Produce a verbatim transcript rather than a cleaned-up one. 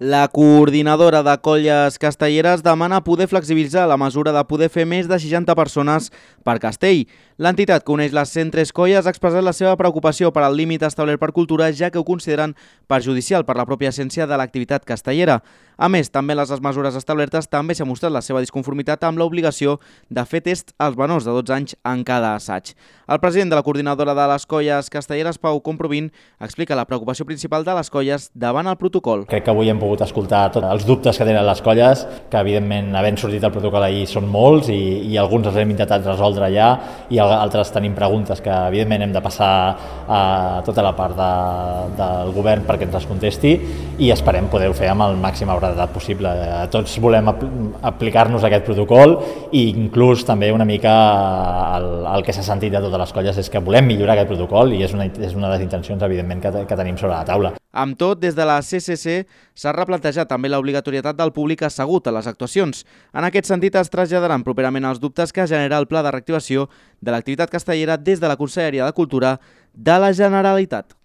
La coordinadora de colles castelleres demana poder flexibilitzar la mesura de poder fer més de seixanta persones per castell. L'entitat que uneix les cent tres colles ha expressat la seva preocupació per al límit establert per cultura, ja que ho consideren perjudicial per la pròpia essència de l'activitat castellera. A més, també les mesures establertes també s'ha mostrat la seva disconformitat amb l'obligació de fer test als menors de dotze anys en cada assaig. El president de la coordinadora de les colles castelleres, Pau Comprovin, explica la preocupació principal de les colles davant el protocol. Crec que avui hem pogut escoltar tots els dubtes que tenen les colles, que evidentment havent sortit el protocol ahir són molts i, i alguns els hem intentat resoldre ja i altres tenim preguntes que evidentment hem de passar a tota la part de, del govern perquè ens les contesti i esperem poder-ho fer amb el màxim brevetat possible. Tots volem aplicar-nos aquest protocol i inclús també una mica el, el que s'ha sentit de totes les colles és que volem millorar aquest protocol i és una, és una de les intencions evidentment que, que tenim sobre la taula. Amb tot, des de la C C C s'ha replantejat també l'obligatorietat del públic assegut a les actuacions. En aquest sentit, es traslladaran properament els dubtes que genera el pla de reactivació de l'activitat castellera des de la Conselleria de Cultura de la Generalitat.